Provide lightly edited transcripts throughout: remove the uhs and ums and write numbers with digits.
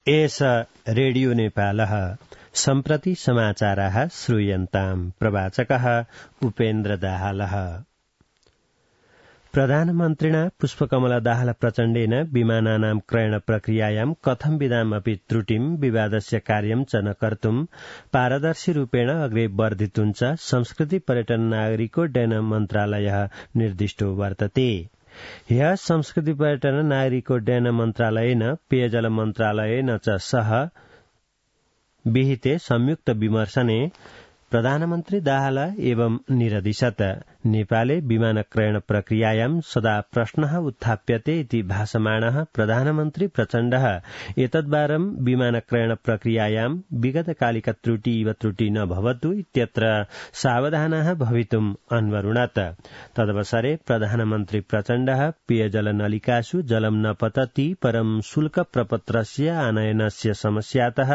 एष रेडियो नेपालः सम्प्रति समाचाराः श्रूयन्ताम् प्रवाचकः उपेन्द्र दाहालः। प्रधानमन्त्रिणा पुष्पकमल दाहाल प्रचण्डेन विमानानां क्रयण प्रक्रियायां कथंविधामपि त्रुटिं विवादस्य कार्यं च न कर्तुं पारदर्शी रूपेण अग्रे वर्धितुं च संस्कृति पर्यटन नागरिकोड्डयन मन्त्रालयः निर्दिष्टो वर्तते। ह्यः संस्कृति पर्यटन नागरिकोड्डयन मन्त्रालयेन पेयजल मन्त्रालयेन च सह विहिते संयुक्त विमर्शने प्रधानमन्त्री दाहाल एवं निरदिशत् नेपाले विमान क्रयण प्रक्रियायां सदा प्रश्नः उत्थाप्यते इति भासमाणः प्रधानमन्त्री प्रचण्डः एतद्वारं विमान क्रयण प्रक्रियायां विगतकालिक त्रुटि इव त्रुटि न भवतु इत्यत्र सावधानः भवितुम् अन्वरुणत्। तदवसरे प्रधानमन्त्री प्रचण्डः पेयजल नलिकासु जलं न पतति परं शुल्क प्रपत्रस्य आनयनस्य समस्यातः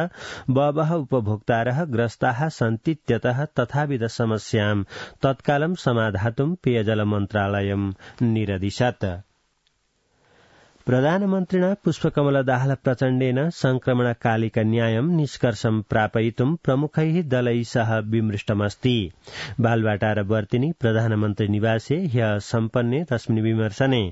बहवः उपभोक्तारः ग्रस्ताः सन्तीत्यतः तथाविध समस्यां तत्कालं समाधातुं पेयजल मन्त्रालयं निरदिशत्। प्रधानमन्त्रिणा पुष्पकमल दाहाल प्रचण्डेन संक्रमणकालिक न्यायं निष्कर्षं प्रापयितुं प्रमुखैः दलैः सह विमृष्टमस्ति। बालवाटारवर्तिनि प्रधानमन्त्री निवासे ह्यः सम्पन्ने तस्मिन् विमर्शने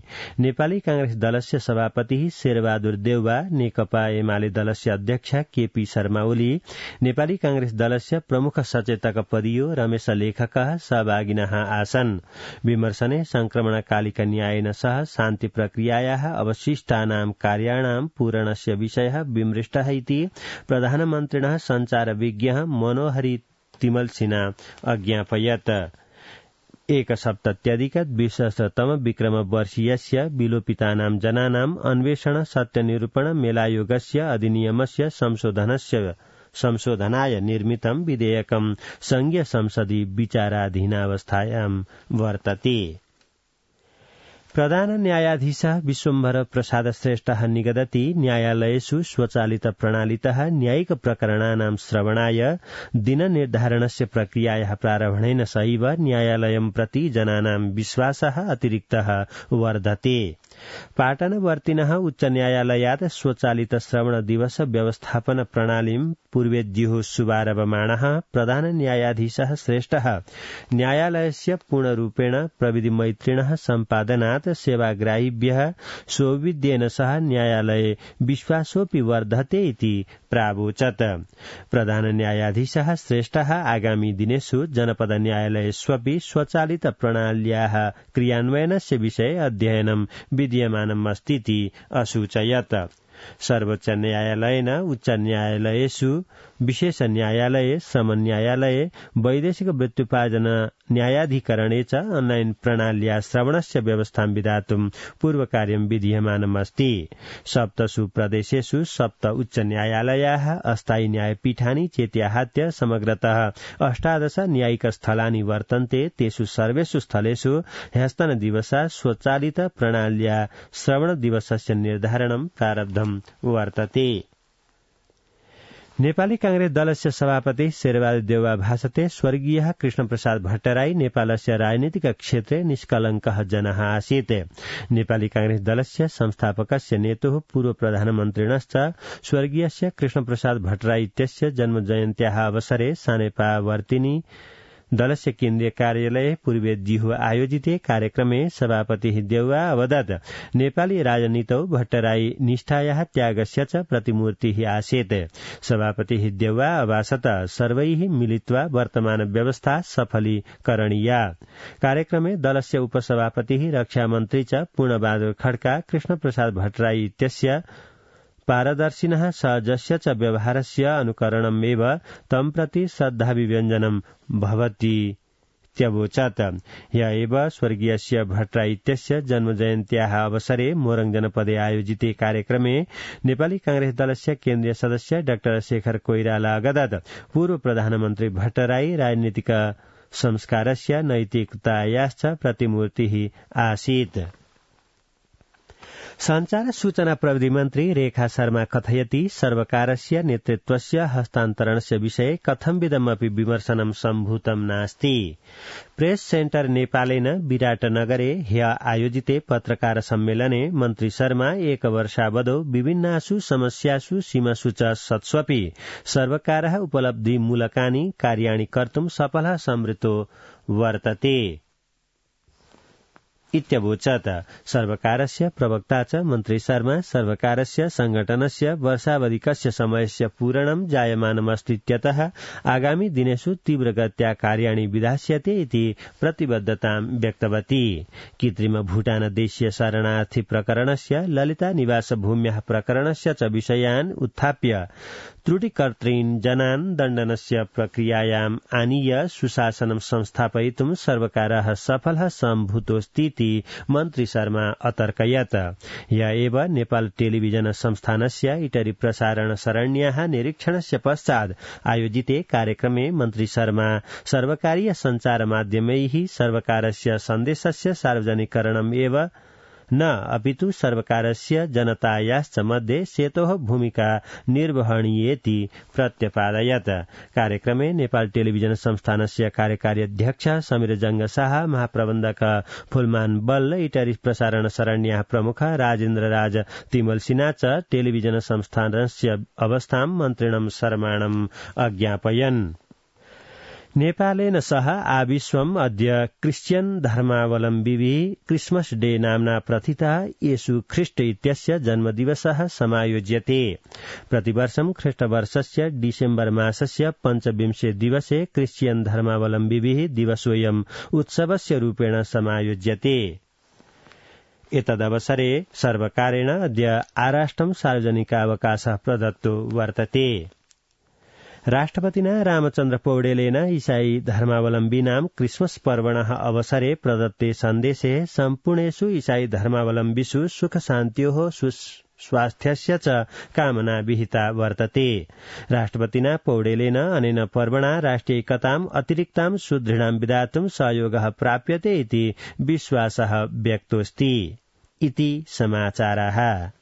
नेपाली कांग्रेस दलस्य सभापतिः शेरबहादुर देउवा, नेकपा एमाले दलस्य अध्यक्ष केपी शर्मा ओली, नेपाली कांग्रेस दलस्य प्रमुख सचेतक पदियो रमेश लेखकः सहभागिनः आसन्। विमर्शने संक्रमणकालिक न्यायेन सह शान्ति प्रक्रियायाः अवशिष्टानां कार्याणां पूरणस्य विषयः विमृष्टः इति प्रधानमन्त्रिणः सञ्चारविज्ञः मनोहरी तिमलसिना अज्ञापयत्। 1सप्तत्यधिक-20तम विक्रमवर्षीयस्य विलोपितानां जनानां अन्वेषण सत्यनिरूपण मेलायोगस्य अधिनियमस्य संशोधनाय निर्मितं विधेयकं संघीय संसदि विचाराधीनावस्थायां वर्तते। प्रधान न्यायाधीशः विश्वम्भर प्रसाद श्रेष्ठः निगदति न्यायालयेषु स्वचालित प्रणालीतः न्यायिक प्रकरणानां श्रवणाय दिननिर्धारणस्य प्रक्रियायाः प्रारम्भेन सहैव न्यायालयं प्रति जनानां विश्वासः अतिरिक्तः वर्धते। पाटनवर्तिनः उच्च न्यायालयात् स्वचालित श्रवण दिवस व्यवस्थापन प्रणालीं पूर्वेद्युः शुभारभमाणः प्रधान न्यायाधीशः श्रेष्ठः न्यायालयस्य पूर्णरूपेण प्रविधिमैत्रिणः सम्पादनात् सेवाग्राहिभ्यः सौविध्येन सह न्यायालये विश्वासोऽपि वर्धते इति प्रावोचत्। प्रधान न्यायाधीशः श्रेष्ठः आगामी दिनेषु जनपद न्यायालयेष्वपि स्वचालित प्रणाल्याः क्रियान्वयनस्य विषये अध्ययनं विद्यमानमस्तीति असूचयत्। सर्वोच्च न्यायालयेन उच्च न्यायालयेषु विशेष न्यायालये श्रम न्यायालये वैदेशिक वृत्त्युपार्जन न्यायाधिकरणे च ऑनलाइन प्रणाल्या श्रवणस्य व्यवस्थां विधातुं पूर्वकार्यं विधीयमानमस्ति। 7 प्रदेशेषु 7 उच्च न्यायालयाः अस्थायी न्यायपीठानि चेत्याहत्य समग्रतः 18 न्यायिक स्थलानि वर्तन्ते। तेषु सर्वेषु स्थलेषु ह्यस्तन दिवसा स्वचालित प्रणाल्या श्रवण दिवसस्य निर्धारणं प्रारब्धं वर्तते। नेपाली कांग्रेस दलस्य सभापति शेरबहादुर देउवा भाषते स्वर्गीयः कृष्णप्रसाद भट्टराई नेपालस्य राजनीतिक क्षेत्रे निष्कलङ्कः जनः आसीत्। नेपाली कांग्रेस दलस्य संस्थापकस्य नेतुः पूर्व प्रधानमन्त्रिणश्च स्वर्गीयस्य कृष्णप्रसाद भट्टराई इत्यस्य जन्मजयन्त्याः अवसरे सानेपावर्तिनि दलस्य केन्द्रीय कार्यालये पूर्वेद्युः आयोजिते कार्यक्रमे सभापतिः देउवा अवदत् नेपाली राजनीतौ भट्टराई निष्ठायाः त्यागस्य च प्रतिमूर्तिः आसीत्। सभापतिः देउवा अभाषत सर्वैः मिलित्वा वर्तमान व्यवस्था सफलीकरणीया। कार्यक्रमे दलस्य उपसभापतिः रक्षामन्त्री च पूर्णबहादुर खड्का कृष्णप्रसाद भट्टराई इत्यस्य पारदर्शिनः सहजस्य च व्यवहारस्य अनुकरणमेव तं प्रति श्रद्धाभिव्यञ्जनं भवतीत्यवोचत्। ह्य एव स्वर्गीयस्य भट्टराई इत्यस्य जन्मजयन्त्याः अवसरे मोरङ जनपदे आयोजिते कार्यक्रमे नेपाली कांग्रेस दलस्य केन्द्रीय सदस्य डाक्टर शेखर कोइराला अगदत् पूर्व प्रधानमन्त्री भट्टराई राजनीतिक संस्कारस्य नैतिकतायाश्च प्रतिमूर्तिः आसीत्। संचार सूचना प्रविधि मन्त्री रेखा शर्मा कथयति सर्वकारस्य नेतृत्वस्य हस्तान्तरणस्य विषये कथंविधमपि विमर्शनं सम्भूतं नास्ति। प्रेस सेन्टर नेपालेन विराटनगरे ह्य आयोजिते पत्रकार सम्मेलने मन्त्री शर्मा एक वर्षावधौ विभिन्नासु समस्यासु सीमासु च सत्स्वपि सर्वकारः उपलब्धिमूलकानि कार्याणि कर्तुं सफलः समृतो वर्तते इत्यवोचत्। सर्वकारस्य प्रवक्ता च मन्त्री शर्मा सर्वकारस्य संगठनस्य वर्षावधिकस्य समयस्य पूरणं जायमानमस्तीत्यतः आगामी दिनेषु तीव्रगत्या कार्याणि विधास्यते इति प्रतिबद्धतां व्यक्तवती। कृत्रिम भूटान देशीय शरणार्थी प्रकरणस्य ललिता निवास भूम्याः प्रकरणस्य च विषयान् उत्थाप्य त्रुटिकर्तॄन् जनान् दण्डनस्य प्रक्रियायाम् आनीय सुशासनं संस्थापयितुं सर्वकारः सफलः सम्भूतोऽस्ति मन्त्री शर्मा अतर्कयत्। य एव नेपाल टेलिभिजन संस्थानस्य इटरी प्रसारण सरण्याः निरीक्षणस्य पश्चात् आयोजिते कार्यक्रमे मन्त्री शर्मा सर्वकारीय सञ्चार माध्यमैः सर्वकारस्य सन्देशस्य सार्वजनिकरणम् एव न अपितु सर्वकारस्य जनतायाश्च मध्ये सेतोः भूमिका निर्वहणीयेति प्रत्यपादयत्। कार्यक्रमे नेपाल टेलिभिजन संस्थानस्य कार्यकारी अध्यक्ष समीर जंग शाह, महाप्रबन्धक फुलमान बल्ल, इटरी प्रसारण सरण्याः प्रमुख राजेन्द्र राज तिमल सिन्हा च टेलिभिजन संस्थानस्य अवस्थां मन्त्रिणं शर्माणम् अज्ञापयन्। नेपालेन सह आविश्वम् अद्य क्रिश्चियन धर्मावलम्बिभिः क्रिसमस डे नाम्ना प्रथितः येशु ख्रीष्ट इत्यस्य जन्मदिवसः समायोज्यते। प्रतिवर्षं ख्रीष्टवर्षस्य डिसेम्बर मासस्य पञ्चविंशे दिवसे क्रिश्चियन धर्मावलम्बिभिः दिवसोऽयम् उत्सवस्य रूपेण समायोज्यते। एतदवसरे सर्वकारेण अद्य आराष्ट्रं सार्वजनिकावकाशः प्रदत्तो वर्तते। राष्ट्रपतिना रामचन्द्र पौडेलेन ईसाई धर्मावलम्बीनां क्रिसमस पर्वणः अवसरे प्रदत्ते सन्देशे सम्पूर्णेषु ईसाई धर्मावलम्बिषु सुख शान्त्योः स्वास्थ्यस्य च कामना विहिता वर्तते। राष्ट्रपतिना पौडेलेन अनेन पर्वणा राष्ट्रियैकताम् अतिरिक्तां सुदृढां विधातुं सहयोगः प्राप्यते इति विश्वासः व्यक्तोऽस्ति इति समाचाराः।